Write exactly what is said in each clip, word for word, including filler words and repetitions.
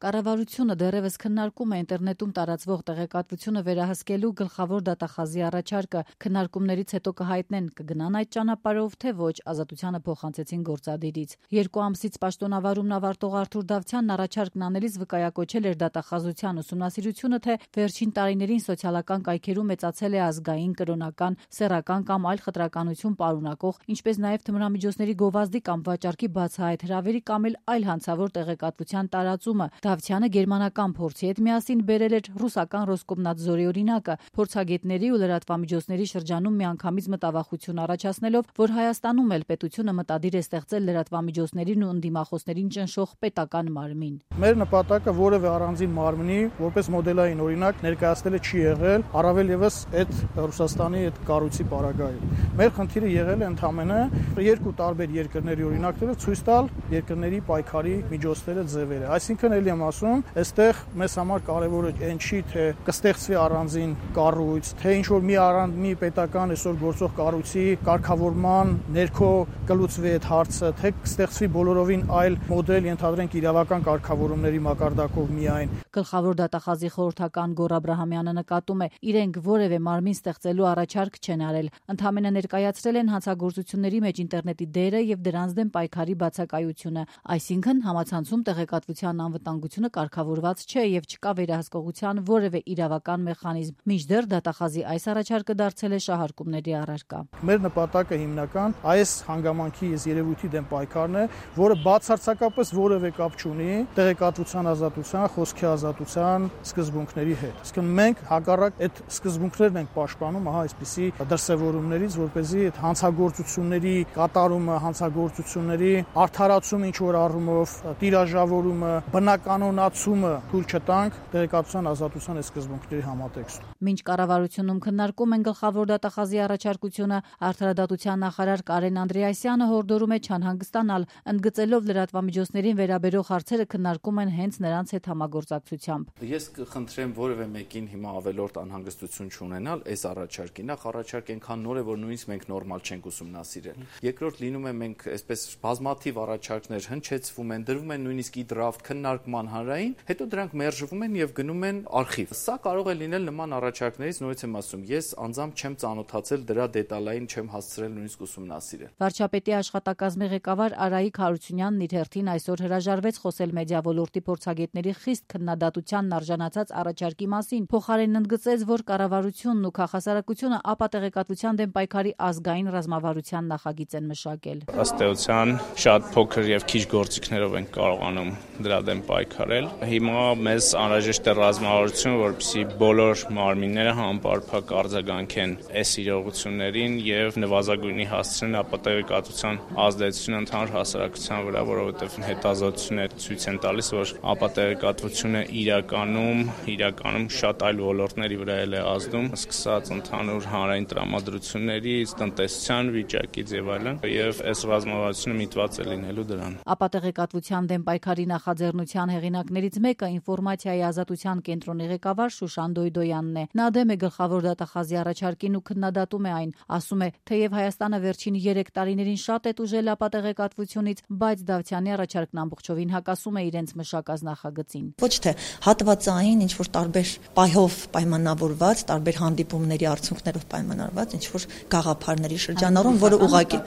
Կառավարությունը դեռևս քննարկում է ինտերնետում տարածվող տեղեկատվությունը վերահսկելու գլխավոր դատախազի առաջարկը։ Քննարկումներից հետո կհայտնեն կգնան այդ ճանապարհով, թե ոչ, Ազատությանը փոխանցեցին գործադիրից։ Երկու ամսից պաշտոնավարումն ավարտող Արթուր Դավթյանն առաջարկն անելիս վկայակոչել էր դատախազության ուսումնասիրությունը, թե վերջին տարիներին սոցիալական կայքերում մեծացել է ազգային, կրոնական, սեռական կամ այլ խտրականություն պարունակող, ինչպես նաև թմրամիջոցների գովազդի կամ վաճառքի բացահայտ հրավերի կամ այլ հանցավոր տեղեկատվության տարածումը։ Դավթյանը գերմանական փորձի հետ միասին բերել էր ռուսական Ռոսկոմնadzորի օրինակը, փորձագետների ու լրատվամիջոցների շրջանում միանգամից մտավախություն առաջացնելով, որ Հայաստանում էլ պետությունը մտադիր է ստեղծել լրատվամիջոցներին ու ընդդիմախոսներին ճնշող պետական մարմին։ Մեր նպատակը որևէ առանձին մարմնի որպես մոդելային օրինակ ներկայացնելը չի եղել, առավել եւս այդ Ռուսաստանի այդ կառույցի պարագայում։ Մեր խնդիրը եղել է ընդհանրապես երկու տարբեր երկրների օրինակները ցույց տալ երկրների պայքարի միջոցները, ձևերը։ Այսինքն էլ եմ ասում, այստեղ մեզ համար կարևորը այն չի, թե կստեղծվի առանձին կառույց, թե ինչ որ մի առանձին մի պետական այսօր գործող կառույցի կարգավորման ներքո կլուծվի այդ հարցը, թե կստեղծվի բոլորովին այլ մոդել, ենթադրենք իրավական կարգավորումների մակարդակով միայն։ Գլխավոր դատախազի խորհրդական Գոռ Աբրահամյանը նկատում է, իրենք որևէ մարմին ստեղծելու առաջարկ չեն արել, ընդհանրապես ներկայացրել են հանցագործությունների մեջ ինտերնետի դերը եւ դրանց դեմ պայքարի բացակայությունը, այսինքն համացանցում տեղեկատվության անվտանգությունը կարգավորված չէ եւ չկա վերահսկողության որևէ իրավական մեխանիզմ։ Մինչդեռ դատախազի այս առաջարկը դարձել է շահարկումների առարկա։ Մեր նպատակը հիմնական այս հանգամանքի այս երևույթի դեմ պայքարն է, որը բացարձակապես որևէ կապ չունի տեղեկատվության ազատության, խոսքի ազատության սկզբունքների հետ։ Իսկ մենք հակառակ այդ սկզբունքներն ենք պաշտպանում ահա այսպիսի դրսևորումներից, որպեսզի այդ հանցագործությունների կատարումը, հանցագործությունների արդարացումը ինչ որ առումով, տիրաժավորումը, բնականոնացումը թույլ չտանք տեղեկատվության ազատության այս սկզբունքների համատեքստում։ Մինչ կառավարությունում քննարկում են գլխավոր դատախազի առաջարկությունը, Արդարադատության նախարար Կարեն Անդրեասյանը հորդորում է չանհանգստանալ, ընդգծելով լրատվամիջոցներին վերաբերող հարցերը քննարկում են հենց նրանց հետ համագործակցությամբ։ Ես կխնդրեմ որևէ մեկին հիմա ավելորդ անհանգստություն չունենալ այս առաջարկի։ Նախ առաջարկ այնքան նոր է, որ նույնիսկ մենք նորմալ չենք ուսումնասիրել։ Երկրորդ լինում է մենք այսպես բազմաթիվ առաջարկներ հնչեցվում են, դրվում են նույնիսկ ի դրաֆտ քննարկման հանրային, հետո դրանք մերժվում են եւ գնում են արխիվ։ Սա կարող է լինել նման առաջարկներից, նորից եմ ասում, ես անձամբ չեմ ծանոթացել դրա դետալային, չեմ հասցրել նույնիսկ ուսումնասիրել։ Վարչապետի աշխատակազմի ղեկավար Արայիկ Հարությունյանն իր հերթին այսօր հրաժարվեց խոսել մեդիա ոլորտի փորձագետների խիստ քննադատությանն արժանացած առաջարկի մասին։ Փոխարենն ընդգծեց, որ կառավարությունն ու քաղաքասարակությունը ապատեղեկատվության դեմ պայքարի ազգային ռազմավարության նախագիծ են մշակել։ Ըստ էության շատ փոքր եւ քիչ գործիքներով են կարողանում դրա դեմ պայքարել։ Հիմա մեզ անհրաժեշտ է ռազմավարություն, որպեսզի բոլոր մարմինները համապարփակ արձագանքեն այս իրողություններին եւ նվազագույնի հասցնեն ապատեղեկատվության ազդեցությունը ընդհանուր հասարակության վրա, որովհետեւ հետազոտությունները ցույց են տալիս, որ ապատեղեկատվությունը իրականում իրականում շատ այլ ոլորտների վրա է ազդում, սկսած ընդհանուր հանրային տրամադրություններից, տնտեսության վիճակից եւ այլն, եւ այս ռազմավարությունը միտված է լինելու դրան։ Ապատեղեկատվության դեմ պայքարի նախաձեռնության հեղինակներից մեկը ինֆորմացիայի ազատության կենտրոնի ղեկավար Շուշան Դոյդոյանն է։ Նա դեմ է գլխավոր դատախազի առաջարկին ու քննադատում է այն, ասում է, թեև Հայաստանը վերջին երեք տարիներին շատ է տուժել ապատեղեկատվությունից, բայց Դավթյանի առաջարկն ամբողջովին հակասում է իրենց մշակած նախագծին։ Ոչ թե հատվածային ինչ որ տարբեր պայով պայմանավորված, տարբեր հանդիպումների արդյունքներով պայմանավորված ինչ որ գաղափարների շրջանառում, որը ուղղակի,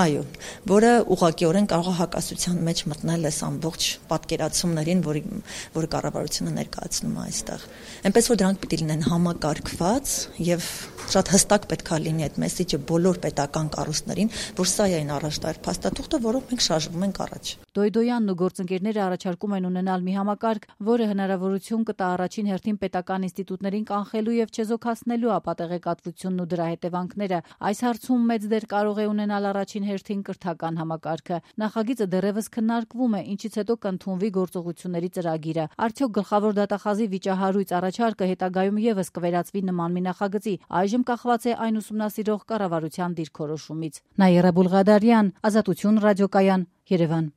այո, որը ուղղակիորեն կարող է հակասության մեջ մտնել այս ամբողջ պատկերացումներին, որի որը կառավարությունը ներկայացնում է այստեղ։ Այնպես որ դրանք պիտի լինեն համակարգված եւ շատ հստակ պետք է լինի այդ մեսիջը բոլոր պետական կառույցներին, որ սա է այն առաջտար փաստաթուղթը, որով մենք շարժվում ենք առաջ։ Դոյդոյանն ու գործընկերները առաջարկում են ունենալ մի համակարգ, որը հնարավորություն կտա առաջին հերթին պետական ինստիտուտներին կանխելու եւ չեզոքացնելու ապատեղեկատվությունն ու դրա հետևանքները։ Այս հարցում մեծ դեր կարող է ունենալ առաջին հերթին կրթական համակարգը։ Նախագիծը դեռևս քննարկվում է, ինչից հետո կընդունվի գործողությունների ծրագիրը։ Արդյոք գլխավոր դատախազի վիճահարույց առաջարկը հետագայում եւս կվերածվի նման մի նախագծի, այժմ կախված է այն ուսումնասիրող կառավարության դիրքորոշումից։ Նաիրա Բուլղադարյան, Ազատություն ռադիոկայան, Երևան։